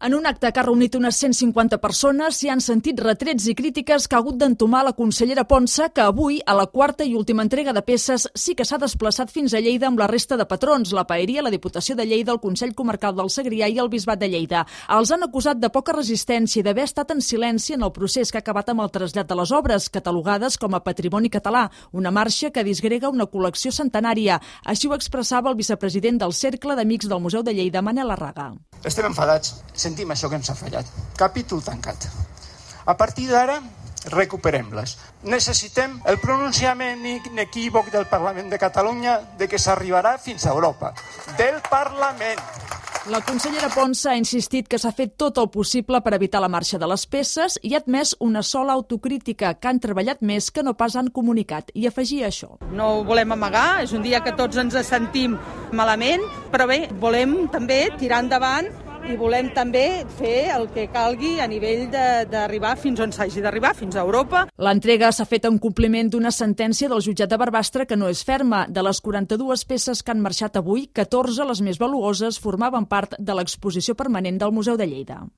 En un acte que ha reunit unes 150 persones s'hi han sentit retrets i crítiques que ha hagut d'entomar la consellera Ponsa, que avui, a la quarta i última entrega de peces, sí que s'ha desplaçat fins a Lleida amb la resta de patrons, la Paeria, la Diputació de Lleida, el Consell Comarcal del Segrià i el Bisbat de Lleida. Els han acusat de poca resistència i d'haver estat en silenci en el procés que ha acabat amb el trasllat de les obres, catalogades com a patrimoni català, una marxa que disgrega una col·lecció centenària. Així ho expressava el vicepresident del Cercle d'Amics del Museu de Lleida, Manel Arraga. Estem enfadats, sentim això que ens ha fallat. Capítol tancat. A partir d'ara, recuperem-les. Necessitem el pronunciament inequívoc del Parlament de Catalunya de que s'arribarà fins a Europa. Del Parlament. La consellera Ponsa ha insistit que s'ha fet tot el possible per evitar la marxa de les peces i ha admès una sola autocrítica, que han treballat més que no pas han comunicat, i afegia això. No ho volem amagar, és un dia que tots ens sentim malament, però bé, volem també tirar endavant i volem també fer el que calgui a nivell d'arribar fins on s'hagi d'arribar, fins a Europa. L'entrega s'ha fet en compliment d'una sentència del jutjat de Barbastre que no és ferma. De les 42 peces que han marxat avui, 14, les més valuoses, formaven part de l'exposició permanent del Museu de Lleida.